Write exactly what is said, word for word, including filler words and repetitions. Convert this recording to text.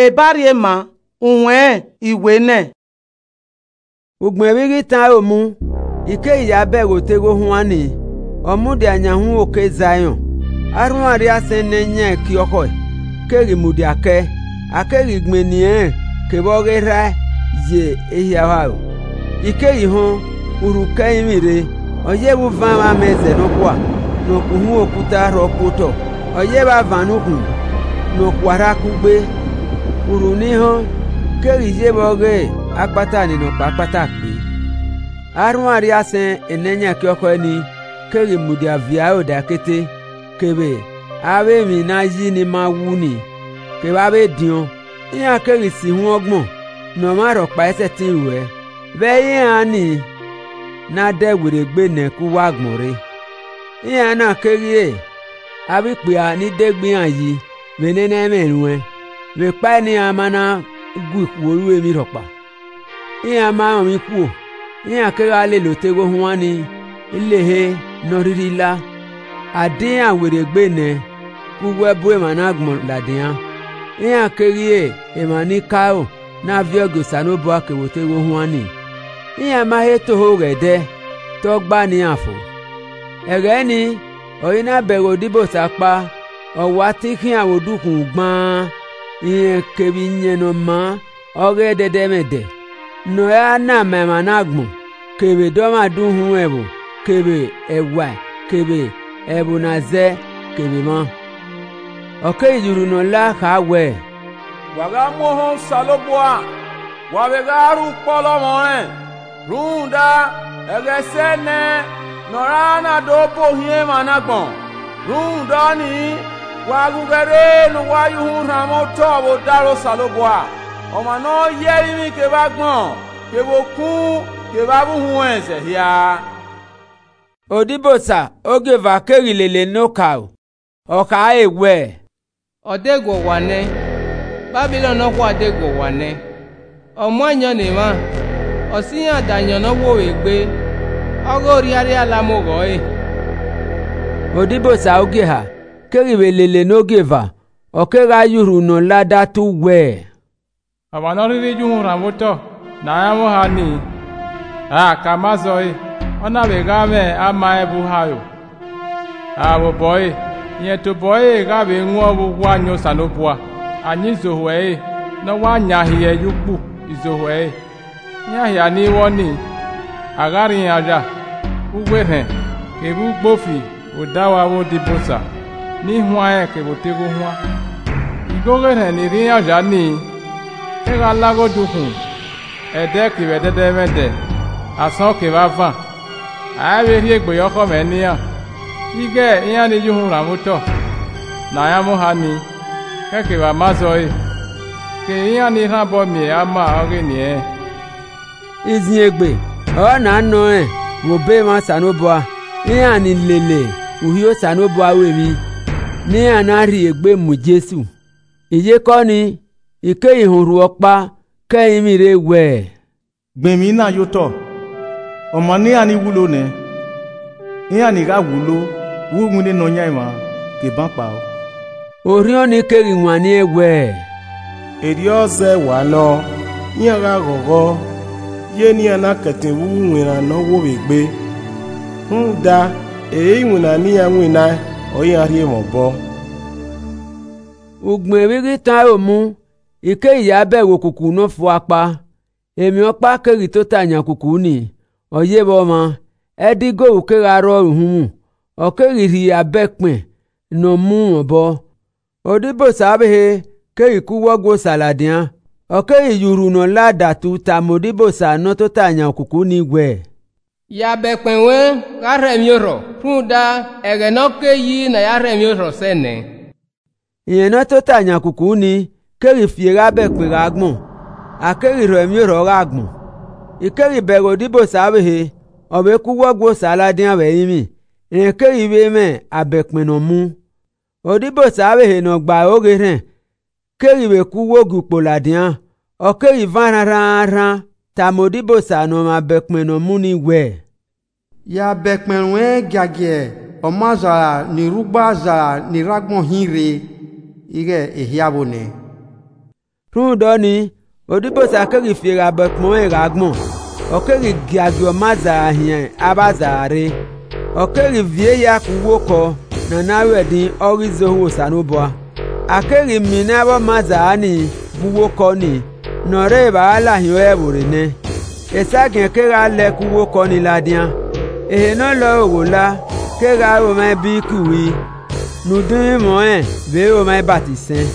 Ebarriema, uwẹn iwe nẹ. Ugbẹn vbe ghi tan aro mu, I keghi ya bẹghe otegho huan ni, ọ mudia yan uhunmwu oke Zaiọn. Arhuan rrie asẹn ne yan ẹki ọkhọe keghi mudia kẹe, a keghi gbẹn eni ẹnrẹn kevbe ọghe erha ye ehia oharo. I keghi họn, urhu ke ẹrinmwi rre, ọ ye vbe uvan mwa amẹ zẹ nọkhua, ne ọ ku uhunmwu okuta rhọ ku otọ, ọ ye vbe avan ne ukhun ne ọ khua rha kugbe. Urhu ne I họn keghi ye vbe ọghe akpata ni nọkpa kpata kpee. Arhuan rrie asẹn ne yan ẹki ọkhọe ni keghi mudia viẹ aro daikete, kevbe avbe emwi ne a yi ni ma wu ni, kevbe avbe ediọn, iran keghi si ihun ọgbọn ne ọmwa rhọkpa i sẹtin ruẹ, vbe ẹ i iran ni ne a dẹ werriegbe nẹ ke uwu agbọn rre. Iran na keghi re avbe ikpia ni degbe iran yi vbe nene ẹmwẹ ruẹn, vbe ekpa ne iran ma na gu ikhuo ru emwi rhọkpa. Iran ma rọnmwẹ ikhuo, iran kegha lele otegho huan ni lehe ne ọ rhirhi la. A di iran werriegbe nẹ ke uwu ẹbu emwa ne agbọn ladian. Iran keghi re emwa ni ke aro na viọ gie Osanobua kevbe otegho huan ni. Iran ma he toho ghẹ ẹdẹ, te ọ gba ne iran fo. Ẹghẹ nii, ọre I na bẹghe odibosa ọkpa, ọ wa te I khian vbe odukhunmwu gbaan, irẹn kevbe iyẹn ne ọ maa ọghe ẹdẹdẹmwẹdẹ, ne ọ ra na ma emwa ne agbọn, kevbe dọmwadẹ uhunmwu ẹvbo, kevbe ẹwae, kevbe ẹvbo ne a zẹ, kevbe emwa. Ọ keghi ye urhu ne ọ la kha wẹẹ, Wa gha mu ohẹn Osanobua, wa vbe gha rre ukpọlọ ọmọ rẹn, rhunmwuda ẹghẹ ẹsẹ nẹ ne ọ ra na do bu ohiẹn emwa ne agbọn. Rhunmwuda ọnii, wa ghe ughẹre ne uwa ye uhunmwu rhanmwẹ otọ vbe odaro Osanobua, ọmwa ne ọ ye ẹrinmwi kevbe agbọn, kevbe okun, kevbe avbe uhunmwu ẹnzẹ hia. Odibosa ogieva keghi lele ne okaro, ọ khare wẹẹ, Ọ deguọ owa nẹ, Babilọn nọkhua deguọ owa nẹ, ọ mu ayọn ne emwa, ọ si iran da ayọn ne ọ wo vbe egbe, ọghe orriarria la mu oghẹ ọre. Odibosa ogie eha keghi vbe lele ne ogieva, ọ kegha ye urhu ne ọ la datu wẹẹ, Ọmwa ne ọ rhirhi ye uhunmwu rhanmwẹ otọ ne a yan mwẹ oha nii, a ka ma zọe, ọ na vbe gha mwẹ ama ẹn vbe uha aro. A vbe obọ ẹre, irẹn tobọ ẹre gha vbe wọn vbe uwu ayan Osanobua, ayan izohu ẹre, ne ọ wa yan hiẹ ye ukpu izohu ẹre. Iran hia ni vbọ nii, a gha rri iran oya, uwu erhẹn, kevbe ugbofi vbe odaro avbe odibosa ni huanrẹn kevbe otegho huan. Igho ọghe erhẹn ni rri iran oya nii, te gha la ghe odukhunmwu, ẹdẹ kevbe ẹdẹdẹmwẹdẹ, asọn kevbe avan, a i vbe rhie egbe ye ọkhọ mwẹ ne iran. Ighẹ iran ni ye uhunmwu rhanmwẹ otọ ne a yan mwẹ oha nii, khẹke vbe a ma zọre, kevbe iran ni rhan obọ miẹn ama ọghe eni ẹnrẹn. Iziengbe ọre na nọ rẹn vbe obọ emwa Osanobua, iran ni lele Uhi Osanobua ru emwi, ne iran na rhie egbe mu Jesu. Iyeke ọnii, I keghi họn urhu ọkpa ke ẹrinmwi rre wẹẹ, Gbẹn emwi na ye otọ, ọma ne iran ni wulo nẹ, iran ni gha wulo vbe uwinna Nọyaẹnmwa ke eban kpao. Orhiọn ni keghi wanniẹn wẹẹ, Erriọ zẹ wa nọ, iran gha ghọghọ, ye ne iran na kẹtin vbe uwu iwinna ne ọ wo vbe egbe, rhunmwuda, ere iwinna ne iran winnaẹn ọre iran rhie mwẹ obọ. Ugbẹn vbe I ghi tan aro mu, I keghi ya bẹghe okuku ne ọ fua ọkpa. Emwi ọkpa keghi tota yan okuku nii, ọ ye vbe ọmwa, ẹdẹ igovwu kegha rrọọ uhunmwu, ọ keghi rhie abẹkpẹn ne ọ mu mwẹ obọ. Odibosa ọvbehe keghi ke uwu Ọgua Osa ladian, ọ keghi ye urhu ne ọ la datu tama odibosa ne ọ tota yan okuku nii wẹẹ, Ya abẹkpẹn ruẹ gha rhie ẹmwẹ orhọ, rhunmwuda ẹghẹ ne ọ ke yi ne a ya rhie ẹmwẹ orhọ sẹ nẹ. Irẹn ne ọ tota yan okuku nii keghi fi eghe abẹkpẹn gha gbọn, a keghi rhọ ẹmwẹ orhọ gha gbọn. I keghi bẹghe odibosa ọvbehe, ọ vbe ke uwu Ọgua Osa ladian vbe ẹrinmwi, rẹn keghi vbe mwẹ abẹkpẹn ne ọ mu. Odibosa ọvbehe ne ọ gba aro ghe erhẹn keghi vbe ke uwu ogiukpo ladian, ọ keghi van rhanrhanrhan tama odibosa ne ọ mwẹ abẹkpẹn ne ọ mu nii wẹẹ, Ya abẹkpẹn ruẹn giagia ọmazala ni rre ugbo azala ni rre agbọn hin rre ighẹ ehia vbo nẹ. Rhunmwuda ọnii, odibosa keghi fi eghabekpọnmwẹ gha gbọn, ọ keghi giagia ọmazagha hiẹn avbazagha rre. Ọ keghi viọ ehia ke uwu okọ ne a na ru ẹdin, ọ ghi zẹ ohu Osanobua. A keghi miẹn avbe ọmazagha ni vbe uwu okọ ni, ne ọ rre evba gha lahiẹn ọre ẹvbo rre nẹ. Esagiẹn kegha lẹ ke uwu okọ ni ladian. Ehe ne ọ lọre ogho la kegha ru omwa ibi ki uhi, ne udu mwẹ vbe ru omwa ibatisẹn.